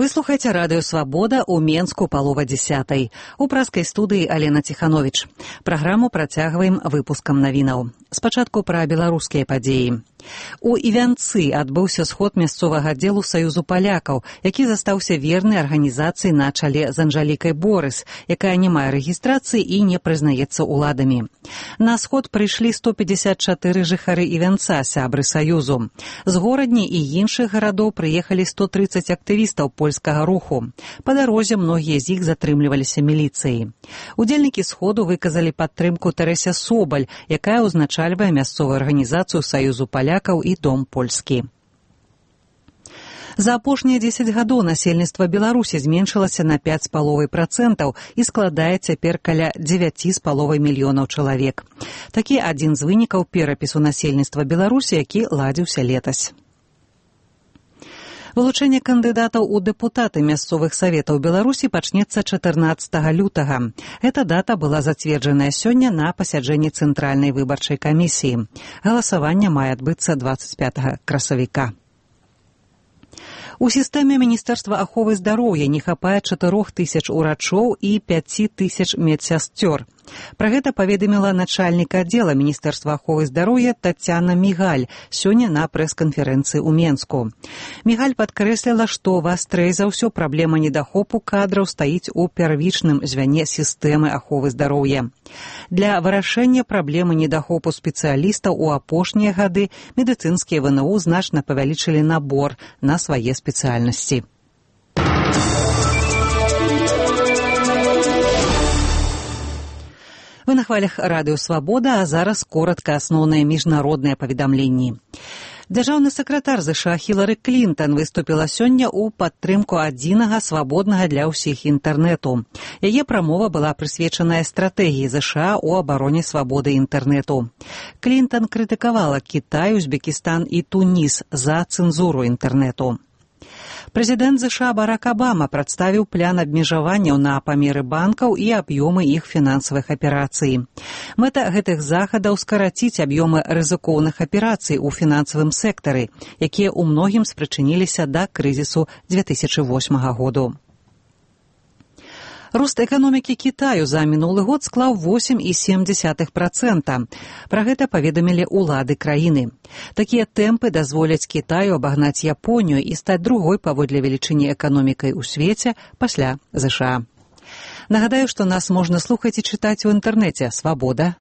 Вы слухаеце радыё «Свабода» ў Менску палова 10. У праскай студыі Алена Ціхановіч. Праграму працягваем выпускам навінаў. Спачатку пра беларускія падзеі. У Івянцы адбыўся сход мясцовага аддзелу Саюзу палякаў, які застаўся верны арганізацыі на чале з Анжалікай Борыс, якая не мае рэгістрацыі і не прызнаецца ўладамі. На сход прыйшлі 154 жыхары Івянца, сябры Саюзу. З горадні і іншых гарадоў прыехалі 130 актывістаў польскага руху. Па дарозе многія з іх затрымліваліся міліцыяй. Удзельнікі сходу выказалі падтрымку Тэрэсе Собаль, якая ўзначальвае мясцовую арганізацыю Саюзу палякаў і Дом польскі. За апошнія 10 гадоў насельніцтва Беларусі зменшылася на 5,5% і складае цяпер каля 9,5 мільёнаў чалавек. Такі адзін з вынікаў перапісу насельніцтва Беларусі, які ладзіўся летась. Вылучэнне кандыдатаў у дэпутаты мясцовых саветаў Беларусі пачнецца 14 лютага. Эта дата была зацверджаная сёння на пасяджэнні Цэнтральнай выбарчай камісіі. Галасаванне мае адбыцца 25 красавіка. У сістэме Міністэрства аховы здароўя не хапае 4000 урачоў і 5000 медсясцёр. Пра гэта паведаміла начальнік аддзела Міністэрства аховы здароўя Тацяна Мігаль сёння на прэс-канферэнцыі ў Менску. Мігаль падкрэсліла, што вастрэй за ўсё праблема недахопу кадраў стаіць у первічным звяне сістэмы аховы здароўя. Для вырашэння праблемы недахопу спецыялістаў у апошнія гады медыцынскія ВНУ значна павялічылі набор на свае спецыяльнасці. Вы на хвалях радыё «Свабода», а зараз коротка асноўныя міжнародныя паведамленні. Дзяржаўны сакратар ЗША Хілары Клінтан выступіла сёння ў падтрымку адзінага свабоднага для ўсіх інтэрнэту. Яе прамова была прысвечаная стратэгіі ЗША ў абароне свабоды інтэрнэту. Клінтан крытыкавала Кітай, Узбекістан і Туніс за цэнзуру інтэрнэту. Прэзідэнт ЗША Барак Абама прадставіў план абмежаванняў на памеры банкаў і аб'ёмы іх фінансавых аперацый. Мэта гэтых захадаў скараціць аб'ёмы рызыкоўных аперацый у фінансавым сектары, якія ў многім спрычыніліся да крызісу 2008 году. Рост эканомікі Кітаю за мінулы год склаў 8,7%. Пра гэта паведамілі ўлады краіны. Такія тэмпы дазволяць Кітаю абагнаць Японію і стаць другой паводле велічыні эканомікай у свеце пасля ЗША. Нагадаю, што нас можна слухаць і чытаць у інтэрнэце «Свабода.».